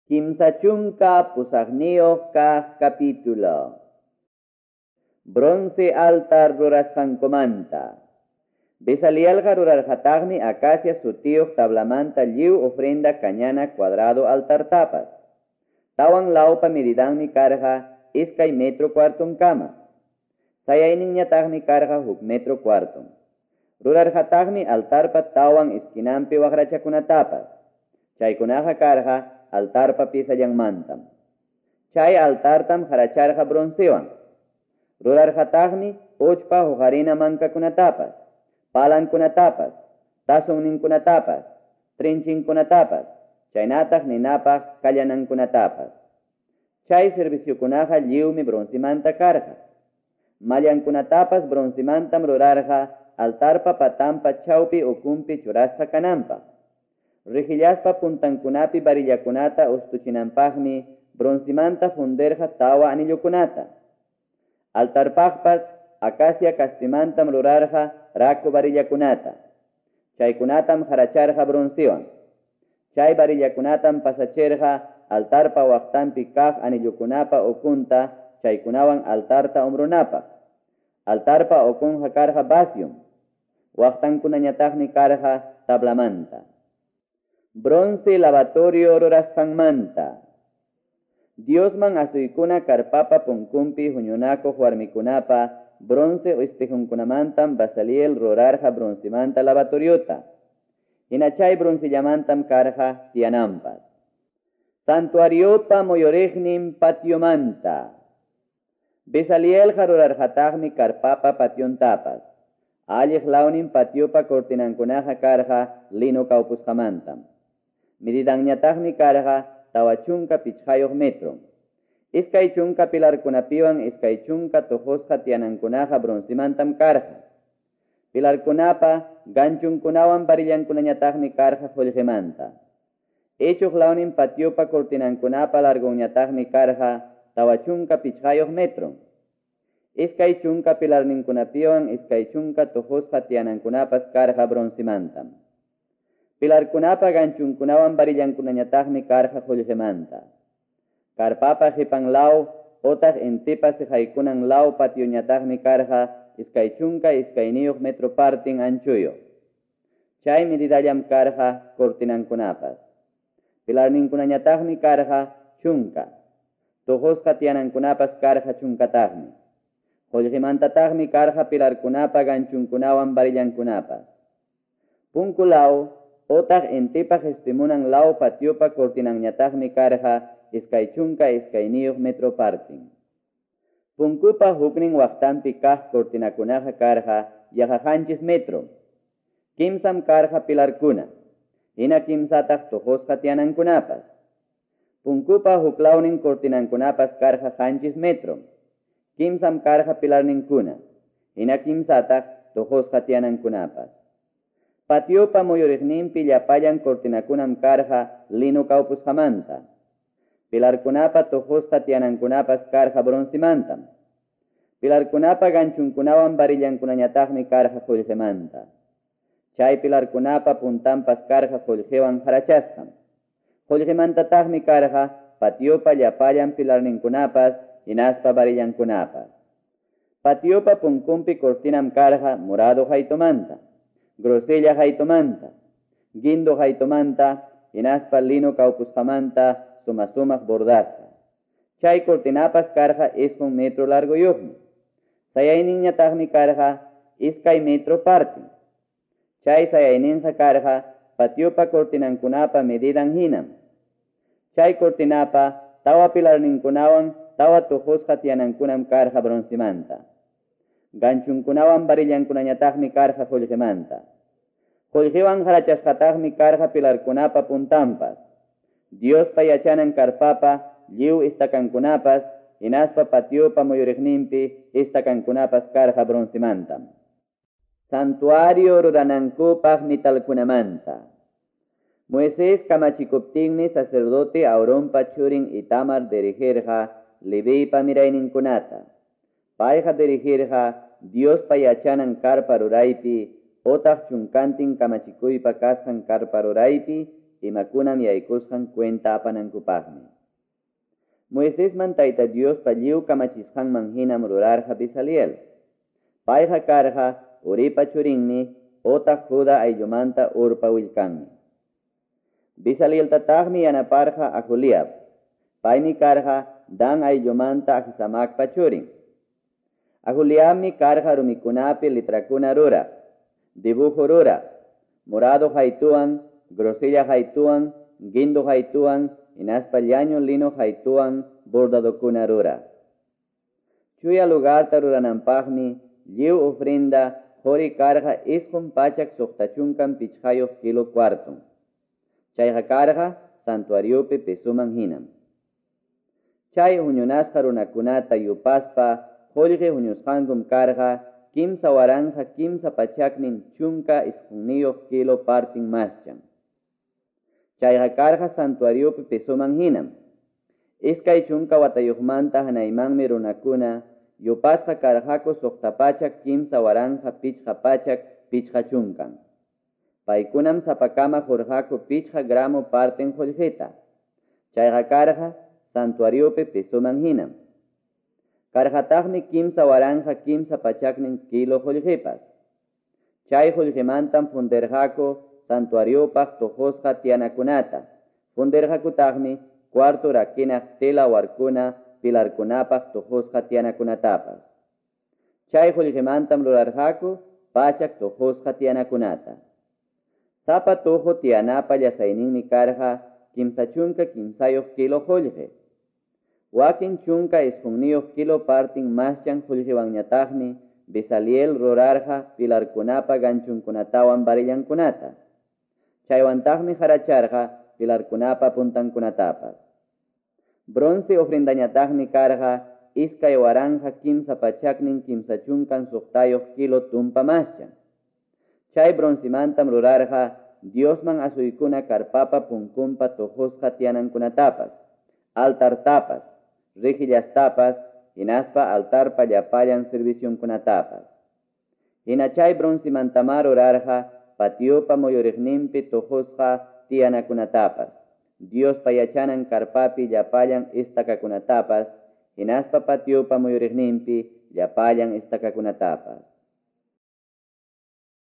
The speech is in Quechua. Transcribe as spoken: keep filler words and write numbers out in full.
Kimsa chunka pusaqniyuq kaq capítulo. Bronce altar rurasqankumanta. Bezalielqa rurarqataqmi acacia sutiyuq tablamanta lliw ofrenda kañana cuadrado altartapas. Tawan lawpa medidanmi karqa iskay metro cuartonkama. Sayayninñataqmi karqa huk metro cuarton. Rurarqataqmi altarpa tawan esquinanpi waqrachakunatapas. Chaykunaqa karqa altarpa pisallanmantam. Chay altartam haracharqa broncewan. Rurarqataqmi uchpa huqarina mankakunatapas, palankunatapas, tazonninkunatapas, trinchinkunatapas, chaynataq ninapaq kallanankunatapas. Chay serviciokunaqa lliwmi broncemanta karqa. Mallankunatapas broncemantam rurarqa altarpa patampa chawpi ukunpi churasqa kananpaq. Rijillaspa puntankunapi varillakunata ustuchinanpaqmi broncemanta fundirqa tawa anillukunata. Altarpaqpas acacia kaspimantam rurarqa raku varillakunata. Chaykunatam haracharqa broncewan. Chay varillakunatam pasachirqa altarpa waqtanpi kaq anillukunapa ukunta chaykunawan altarta umrunapaq. Altarpa ukunqa karqa vacium. Waqtankunañataqmi karqa tablamanta. Bronce lavatorio rurasqanmanta. Diosman asuykuna karpapa punkunpi huñunakuq warmikunapa bronce espejunkunamantam Bezaliel rurarqa broncemanta lavatoriota. Hina chay broncellamantam karqa tiyananpas. Santuariopa muyuriqnin patiomanta. Bezalielqa rurarqataqmi karpapa pationtapas. Alliq lawnin patiopa cortinankunaqa karqa lino kawpusqamantam. Medidanñataqmi karqa tawa chunka pichqayuq metro. Iskay chunka pilarkunapiwan iskay chunka tuqusqa tiyanankunaqa broncemantam karqa. Pilarkunapa ganchunkunawan varillankunañataqmi karqa qullqimanta. Ichuq lawnin patiopa cortinankunapa largonñataqmi karqa tawa chunka pichqayuq metro. Iskay chunka pilarninkunapiwan iskay chunka tuqusqa tiyanankunapas karqa broncemantam. Pilarkunapa ganchunkunawan varillankunañataqmi karqa qullqimanta. Karpapa qipan law otaq intipa siqaykunan law patioñataqmi karqa iskay chunka iskayniyuq metro partin anchuyuq. Chay medidallam karqa cortinankunapas. Pilarninkunañataqmi karqa chunka. Tuqusqa tiyanankunapas karqa chunkataqmi. Qullqimantataqmi karqa pilarkunapa ganchunkunawan varillankunapas. Punku law otaq intipa qispimunan law patiopa cortinanñataqmi karqa iskay chunka iskayniyuq metro partin. Punkupa huknin waqtanpi kaq cortinakunaqa karqa yaqa qanchis metro. Kimsam karqa pilarkuna, hina kimsataq tuqusqa tiyanankunapas. Punkupa huklawnin cortinankunapas karqa qanchis metro. Kimsam karqa pilarninkuna, hina kimsataq tuqusqa tiyanankunapas. Patiopa muyuriqninpi llapallan cortinakunam karqa lino kawpusqamanta. Pilarkunapa tuqusqa tiyanankunapas karqa broncemantam. Pilarkunapa ganchunkunawan varillankunañataqmi karqa qullqimanta. Chay pilarkunapa puntanpas karqa qullqiwan harachasqam. Qullqimantataqmi karqa patiopa llapallan pilarninkunapas hinaspa varillankunapas. Patiopa punkunpi cortinam karqa morado qaytumanta, grosella qaytumanta, guindo qaytumanta, hinaspa lino kawpusqamanta suma-sumaq bordasqa. Chay cortinapas karqa isqun metro largoyuqmi. Sayayninñataqmi karqa iskay metro partin. Chay sayayninqa karqa patiopa cortinankunapa medidan hinam. Chay cortinapa tawa pilarninkunawan tawa tuqusqa tiyanankunam karqa broncemanta. Ganchunkunawan varillankunañataqmi karqa qullqimanta. Qullqiwan harachasqataqmi karqa pilarkunapa puntanpas. Diospa yachanan karpapa lliw istakankunapas hinaspa patiopa muyuriqninpi istakankunapas karqa broncemantam. Santuario ruranankupaq mitalkunamanta. Moisés kamachikuptinmi sacerdote Aaronpa churin Itamar dirigirqa Leviypa mirayninkunata. Payqa dirigirqa Diospa yachanan karpa ruraypi otaq chunkantin kamachikuypa kasqan karpa ruraypi imakunam yaykusqan cuenta apanankupaqmi. Moisesman Tayta Diospa lliw kamachisqanman hinam rurarqa Bezaliel. Payqa karqa Uripa churinmi otaq Juda ayllumanta Urpa willkanmi. Bezalieltataqmi yanaparqa Aholiab. Paymi karqa Dan ayllumanta Ahisamacpa churin. Aholiabmi karqa rumikunapi letrakuna ruraq, dibujo ruraq, morado haytuwan, grosella haytuwan, guindo haytuwan, hinaspa llaño lino haytuwan bordadokuna ruraq. Chuya lugarta rurananpaqmi lliw ofrenda qori karqa isqun pachak suqta chunkan pichqayuq kilo cuarton. Chayqa karqa santuariopi pesoman hinam. Chay huñunasqa runakunata yupaspa qullqi huñusqankum karqa kimsa waranqa kimsa pachaknin chunka isqunniyuq kilo partin maschan. Chayqa karqa santuariopi pesoman hinam. Iskay chunka watayuqmanta hanaymanmi runakuna yupasqa karqaku suqta pachak kimsa waranqa pichqa pachak pichqa chunkan. Paykunam sapakama qurqaku pichqa gramo partin qullqita. Chayqa karqa santuariopi pesoman hinam. Karqataqmi kimsa waranqa kimsa pachaknin kilo qullqipas. Chay qullqimantam fundirqaku santuariopaq tuqusqa tiyanakunata. Fundirqakutaqmi cuarto rakinaq tela warkuna pilarkunapaq tuqusqa tiyanakunatapas. Chay qullqimantam rurarqaku pachak tuqusqa tiyanakunata. Sapa tuqu tiyanapa llasayninmi karqa kimsa chunka kimsayuq kilo qullqi. Wakin chunka isqunniyuq kilo partin maschan qullqiwanñataqmi Bezaliel rurarqa pilarkunapa ganchunkunatawan varillankunata. Chaywantaqmi haracharqa pilarkunapa puntankunatapas. Bronce ofrendañataqmi karqa iskay waranqa kimsa pachaknin kimsa chunkan suqtayuq kilo tumpa maschan. Chay broncemantam rurarqa Diosman asuykuna karpapa punkunpa tuqusqa tiyanankunatapas, altartapas, rijillastapas, hinaspa altarpa llapallan servicionkunatapas. Hina chay broncemantamá rurarqa patiopa muyuriqninpi tuqusqa tiyanakunatapas, Diospa yachanan karpapi llapallan estacakunatapas, hinaspa patiopa muyuriqninpi llapallan estacakunatapas.